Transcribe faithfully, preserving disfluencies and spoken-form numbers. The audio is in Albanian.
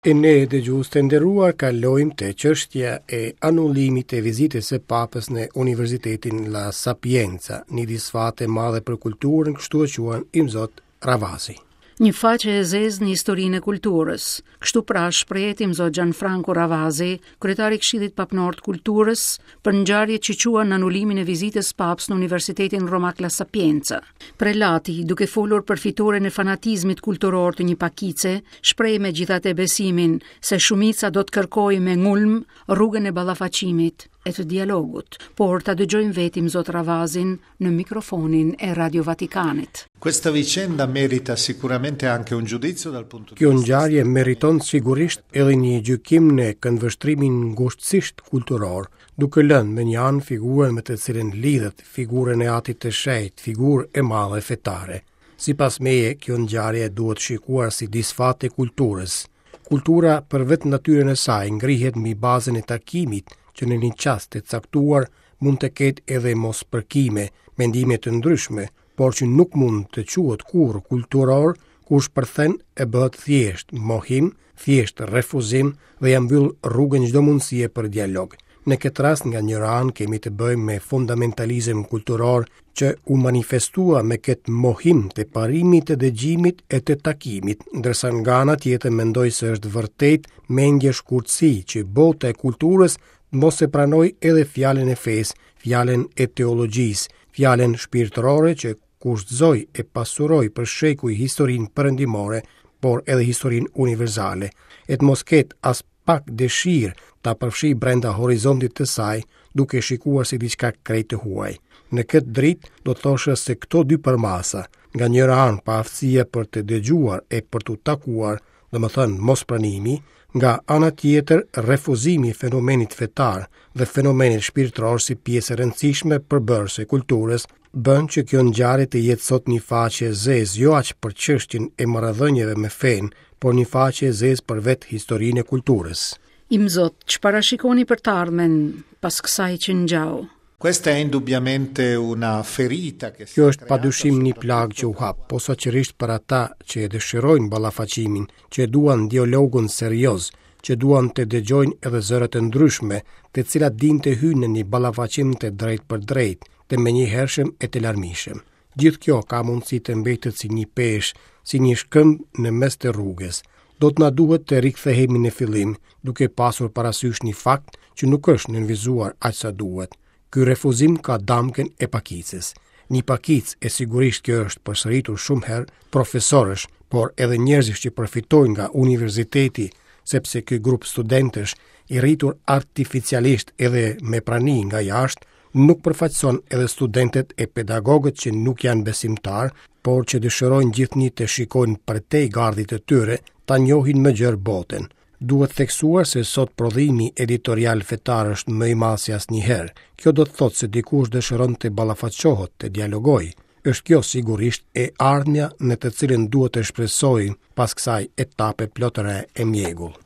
E ne, dëgjues të nderuar, kalojmë te çështja e anullimit të vizitës së Papës në Universitetin La Sapienza, një disfatë e madhe për kulturën, kështu e quan Imzot Ravasi. Një faqe e zezë në historinë e kulturës. Kështu pra shprehet Imzot Gianfranco Ravasi, kryetari i Këshillit Papnor të Kulturës, për ngjarjet që quan në anulimin e vizitës Papës në Universitetin Romak La Sapienza. Prelati, duke folur për fitoren e fanatizmit kulturor të një pakice, shpreh megjithatë besimin se shumica do të kërkojë me ngulm rrugën e ballafaqimit e të dialogut, por ta dëgjojmë vetë Imzot Ravazin në mikrofonin e Radio Vatikanit. Questa vicenda merita sicuramente anche un giudizio dal punto di Kjo vista ngjarje meriton sigurisht edhe një gjykim në këndvështrimin ngushtësisht kulturor, duke lënë me një anë figurën me të cilën lidhet, figurën e Atit të Shenjtë, figurë e madhe fetare. Sipas meje, kjo ngjarje duhet shikuar si disfatë e kulturës. Kultura për vetë natyrën e saj ngrihet mbi bazën e takimit, që në një çast të caktuar mund të ketë edhe mospërkime, mendime të ndryshme, por që nuk mund të quhet kurrë kulturor, kur shpërthen e bëhet thjesht mohim, thjesht refuzim dhe ja mbyll rrugën çdo mundësie për dialog. Në këtë rast nga njëra anë kemi të bëjmë me fundamentalizëm kulturor që u manifestua me këtë mohim të parimit të dëgjimit e të takimit, ndërsa nga ana tjetër mendoj se është vërtet mendje shkurtësi që bota e kulturës mos e pranoj edhe fjalën e fesë, fjalën e teologjisë, fjalën shpirtërore që kushtëzoi e pasuroi për shekuj historinë perëndimore, por edhe historinë universale, e të mos ketë as pak dëshirë ta përfshi brenda horizontit të saj, duke shikuar si diçka krejt të huaj. Në këtë dritë do të thosha se këto dy përmasa, nga njëra anë paaftësia për të dëgjuar e për t'u takuar, domethënë mospranimi, nga ana tjetër refuzimi i fenomenit fetar dhe fenomenit shpirtëror si pjesë e rëndësishme përbërëse e kulturës, bën që kjo ngjarje të jetë sot një faqe e zezë, jo aq për çështjen e marrëdhënieve me fenë, por një faqe e zezë për vetë historinë e kulturës. Imzot, çfarë shikoni për të ardhmen pas kësaj që ngjau? Questa è indubbiamente una ferita che si Kjo è është creata padyshim një plagë që u hap, posaçërisht për ata që e dëshirojnë ballafaqimin, që e duan dialogun serioz, që duan të dëgjojnë edhe zërat e ndryshme, të cilat dinë të hyjnë në një ballafaqim të drejtë për drejtë, të menjëhershëm e të larmishëm. Gjithë kjo ka mundësi të mbetet si një peshë, si një shkëmb në mes të rrugës. Do të na duhet të rikthehemi në fillim, duke pasur parasysh një fakt që nuk është nënvizuar aq sa duhet. Ky refuzim ka damkën e pakicës. Një pakicë, e sigurisht kjo është përsëritur shumë herë, profesorësh, por edhe njerëzish që përfitojnë nga universiteti, sepse ky grup studentësh i rritur artificialisht edhe me prani nga jashtë, nuk përfaqëson edhe studentët e pedagogët që nuk janë besimtar, por që dëshirojnë gjithnjë të shikojnë përtej gardhit të tyre, ta njohin më gjerë botën. Duhet theksuar se sot prodhimi editorial fetar është më i madh se asnjëherë. Kjo do të thotë se dikush dëshiron të ballafaqohet, të dialogojë. Është kjo sigurisht e ardhmja në të cilën duhet të shpresojmë pas kësaj etape plot re e mjegull.